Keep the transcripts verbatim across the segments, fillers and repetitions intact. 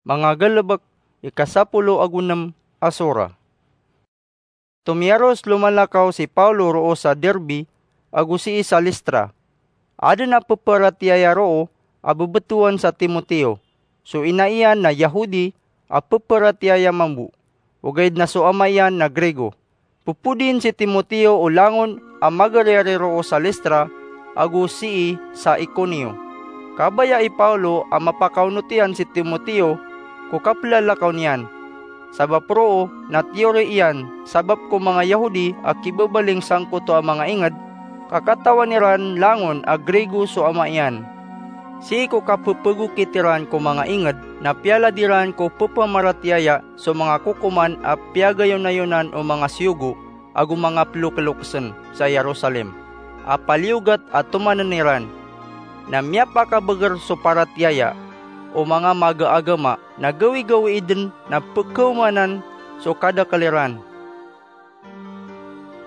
Manga Galebek, ika sapolo ago nem a sora. Tomiyaros lomalakaw si Pawlo roo sa Derbe ago sii sa Listra. Aden a peparatiyaya roo a bebetowan sa Timoteo. So ina iyan na Yahudi a peparatiyaya mambo, ogaid na so ama iyan na Grigo. Popodin si Timoteo o langon a magariyari roo sa Listra ago sii sa Iconio. Kabaya i Pawlo a mapakaonot iyan si Timoteo ko kapelalakaw niyan. Sabap roo na tiyori iyan, sabap ko manga Yahudi a kibabaling sangkoto a manga inged, ka katawan iran langon a Grigo so ama iyan. Sii ko kapepegokit iran ko manga inged na piyalad iran ko pepamaratiyaya so manga kokoman a piyagayonayonan o manga siyogo ago manga pelokelokesen sa Jerusalem a paliyogat a tomanen iran. Na miyapakabeger so paratiyaya o manga magaagama na gawigawii den na pekaomanan so kadakel iran.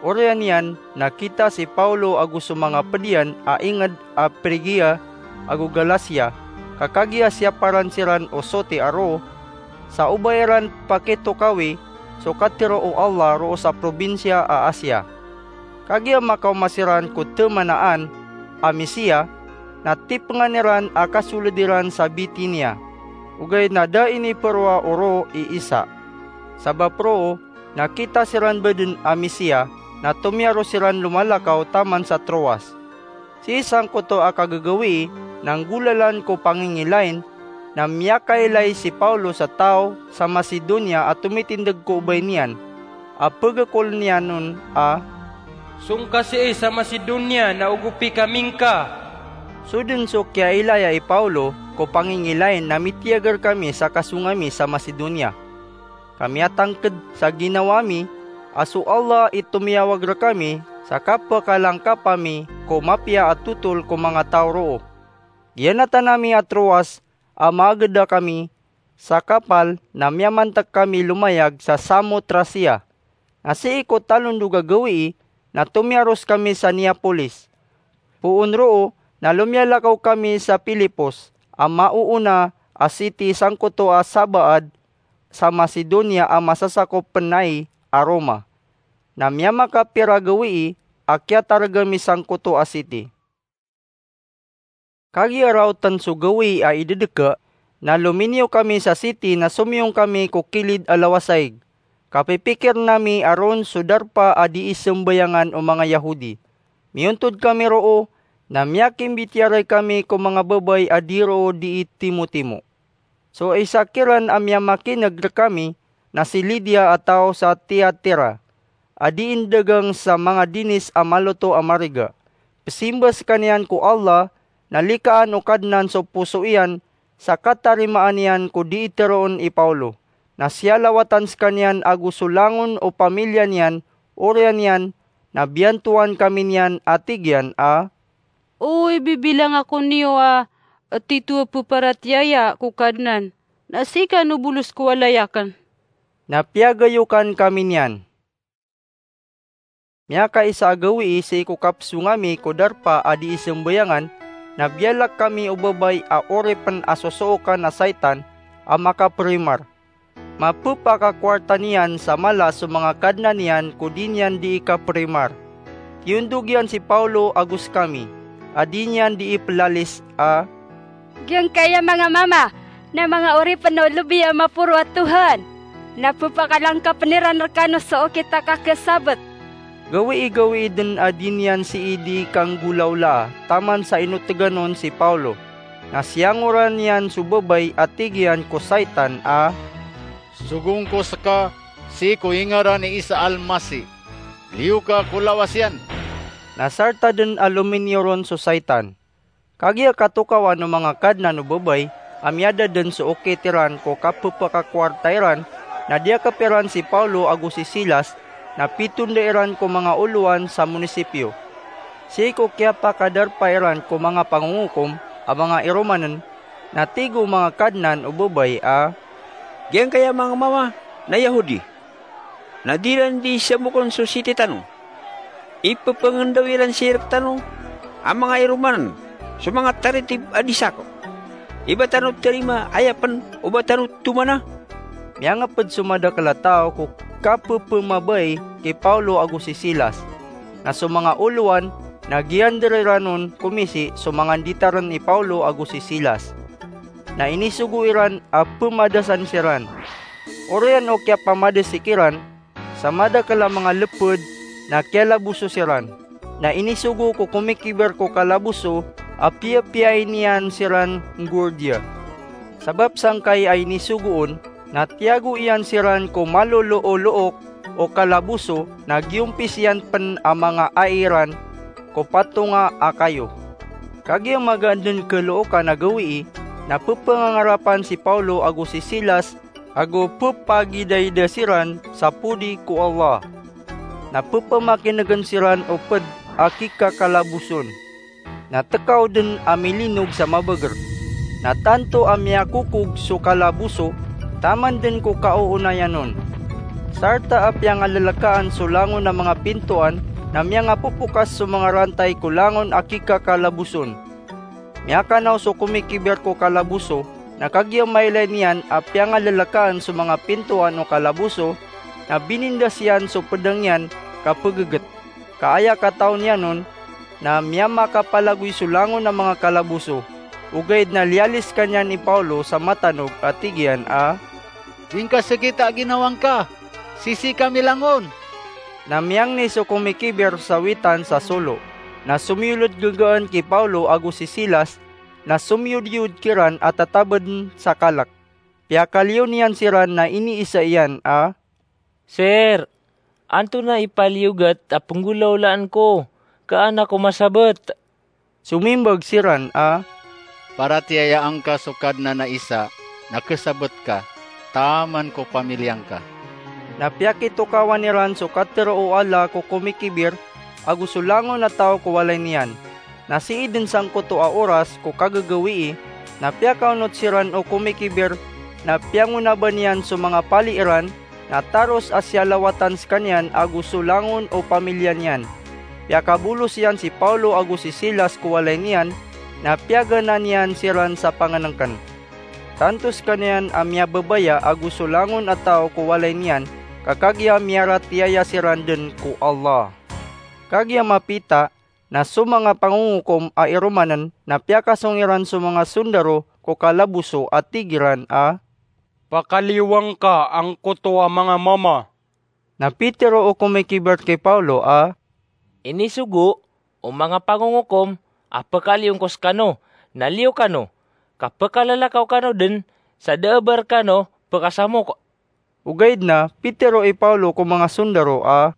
Oriyan iyan na kita si Pawlo ago so manga ped iyan a inged a Phrygia ago Galatia, ka kagiya siyaparan siran o soti a roo, sa o ba iran pakitokawi so katharo o Allah roo sa probinsiya a Asia. Kagiya makaoma siran ko temanaan a Misiya, na tipengan iran a kasoled iran sa Bitinia, ogaid na da iniperoa o roo i isa. Sabap roo, na kita siran baden a Misiya, na tomiyaros siran lomalakaw taman sa Troas. Sii sangkoto a kagagawii na nggolalan ko pangingilain, na miyakailay si Pawlo sa taw sa Macedonia a tomitindeg ko obay niyan, a pegekolen iyan on a, "Song ka sii sa Macedonia na ogopi kami ngka." So den so kiyailaya i Pawlo ko pangingilain na mitiyag rekami sa kasong ami sa Macedonia. Ka miyatangked sa ginawa mi a so Allah i tomiyawag rekami sa kapekalangkap ami ko mapiya a totol ko manga taw roo. Giyanatan ami a Troas a maageda kami sa kapal na miyamantek kami lomayag sa Samotracia. Na sii ko talondog a gawii na tomiyaros kami sa Neapolis. Poon roo na lomiyalakaw kami sa Filipos a maoona a siti sangkoto a sabaad sa Macedonia a masasakop pen ai a Roma. Na miyamakapira gawii a kiyatareg ami sangkoto a siti. Kagiya raoten so gawii a idedeka, na lominiyo kami sa siti na somiyong kami ko kilid a lawasaig. Kapipikiren ami a ron so darpa a dii sembayangan o manga Yahudi. Miyontod kami roo, na miyakimbitiyarai kami ko manga babay a di roo dii timotimo. So isa kiran a miyamakineg rekami na si Lidia a taw sa Tiatira, a dii ndagang sa manga dinis a maloto a mariga. Pesimba sekaniyan ko Allah, na likaan o Kadnan so poso iyan sa katarimaan iyan ko dii teroon i Pawlo. Na siyalawatan sekaniyan ago so langon o pamilya niyan, oriyan iyan, na biyantowan kami niyan a tig iyan a, "O ibibilang ako niyo a tito a peparatiyaya ko Kadnan, na sii kano bolos ko walay aken." Na piyagayokan kami niyan. Miyakaisa a gawii sii ko kapesong ami ko darpa a dii sembayangan, na biyalak kami o babay a oripen a sosookan a saitan a makaperimar. Mapepakakowarta niyan sa mala so manga kadnan iyan ko di niyan dii kaperimar. Kiyondog iyan si Pawlo ago sekami, a di niyan dii pelalis a, "Giyangkaya manga mama, na manga oripen o lebi a maporo a Tohan, na pepakalangkapen iran rekano so okit a kakesabet." Gawii-gawii den a di niyan sii dii kanggolawlaa taman sa inotegan on si Pawlo. Na siyangoran iyan so babay a tig iyan ko saitan a, "Sogong ko seka sii ko ingaran i Isa Almasi. Liyo ka ko lawas iyan." Na sarta den a lominiyo ron so saitan. Kagiya katokawan o manga kadnan o babay a miyada den so okit iran ko kapepakakowarta iran, na diyakep iran si Pawlo ago si Silas, na pitonda iran ko manga olowan sa monisipyo. Sii ko kiyapakadarpa iran ko manga pangongokom a manga iromanen, na tig o manga kadnan o babay a, "Giyangkaya manga mama na Yahudi, na di ran dii semokon so siti tano. Ipepengendaw iran sii rektano a manga iromanen so manga taritib a di sako." Iba tano tarima, aya pn o ba tano tomana?" Miyangpd so madakl a taw ko kapphmabai ki Pawlo ago si Silas. Na so manga olowan na giyandr iran on komisi so manga nditarn i Pawlo ago si Silas. Na inisogo iran a pmadasan siran. Oriyan o kiyapamadasi kiran sa madakl a manga lpd na kiyalaboso siran. Na inisogo ko komikiber ko kalaboso a piyapiyaini iyan siran nggordiya. Sabap sangkai a inisogo on na tiyago iyan siran ko maloloolook o kalaboso, na giyompis iyan pn a manga ai iran ko patonga a kayo. Kagiya magaan dn khalookan a gawii, na pphangangarapan si Pawlo ago si Silas ago pphagidayda siran sa podi ko Allah. Na pphamakinegn siran o pd a kikakalaboson. Na tkaw dn a milinog sa mabagr. Na tanto a miyakokog so kalaboso taman dn ko kaoonayan on. Sarta a piyangalalakaan so langon a manga pintoan, na miyangapopokas so manga rantay ko langon a kikakalaboson. Miyakanaw so komikiber ko kalaboso, na kagiya mailay niyan a piyangalalakaan so manga pintoan o kalaboso, na binindas iyan so pdang iyan ka pggt. Ka aya kataw niyan on, na miyamakapalagoy so langon a manga kalaboso. Ogaid na liyali skaniyan i Pawlo sa matanog a tig iyan a, "Di ngka sgita a ginawa ngka! Sisii kami langon!" Na miyangni so komikiber sa witan sa solo, na somiyolod gagaan ki Pawlo ago si Silas, na somiyodiyod kiran a tatabdn sa kalk. Piyakaliyo niyan siran na iniisa iyan a, "Sir, antonaa i paliyogat a pnggolawlaan ko, ka an ako masabt?" Somimbag siran a, "Paratiyayaan ka so Kadnan a isa, na khasabt ka, taman ko pamiliya ngka." Na piyakitokawan iran so katharo o Allah ko komikiber ago so langon a taw ko walay niyan. Na sii dn sangkoto a oras ko kagagawii, na piyakaonot siran o komikiber, na piyangonaban iyan so manga pali iran, na taros a siyalawatan skaniyan ago so langon o pamiliya niyan. Piyakabolos iyan si Pawlo ago si Silas ko walay niyan, na piyagana niyan siran sa pangnngkn. Tanto skaniyan a miyababaya ago so langon a taw ko walay niyan, ka kagiya miyaratiyaya siran dn ko Allah. Kagiya mapita, na so manga pangongokom a iromann na piyakasong iran so manga sondaro ko kalaboso a tig iran a, "Pakaliyowa ngka angkoto a manga mama." Na pitharo o komikiber ki Pawlo a, "Inisogo o manga pangongokom a pkaliyon ko skano, na liyo kano, ka pkalalakaw kano dn sa da a ba rkano pkasamok." Ogaid na pitharo i Pawlo ko manga sondaro a,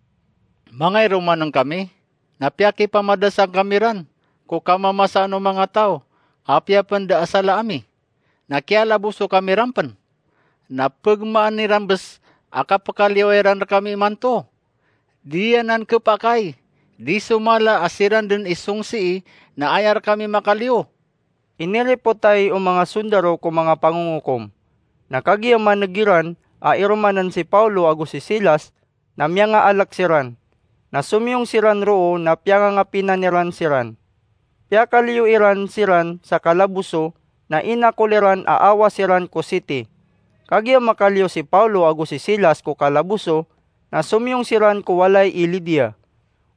"Manga iromann kami, na piyakipamadasan kami ran ko kamamasaan o manga taw, apiya pn da a sala ami. Na kiyalaboso kami ran pn. Na pgmaan iran bs a kapkaliyowa iran rkami imanto. Di anan khapakay, di so mala a siran dn i songsii na aya rkami makaliyo." Iniripotay o manga sondaro ko manga pangongokom. Na kagiya maneg iran a iromann si Pawlo ago si Silas, na miyangaalk siran. Na somiyong siran roo na piyangangapinan iran siran. Piyakaliyo iran siran sa kalaboso, na inakol iran a awa siran ko siti. Kagiya makaliyo si Pawlo ago si Silas ko kalaboso, na somiyong siran ko walay i Lidia.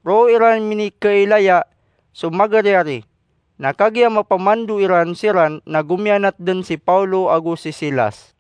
Roo iran minikhailaya so magariyari. Na kagiya mapamando iran siran na gomiyanat dn si Pawlo ago si Silas.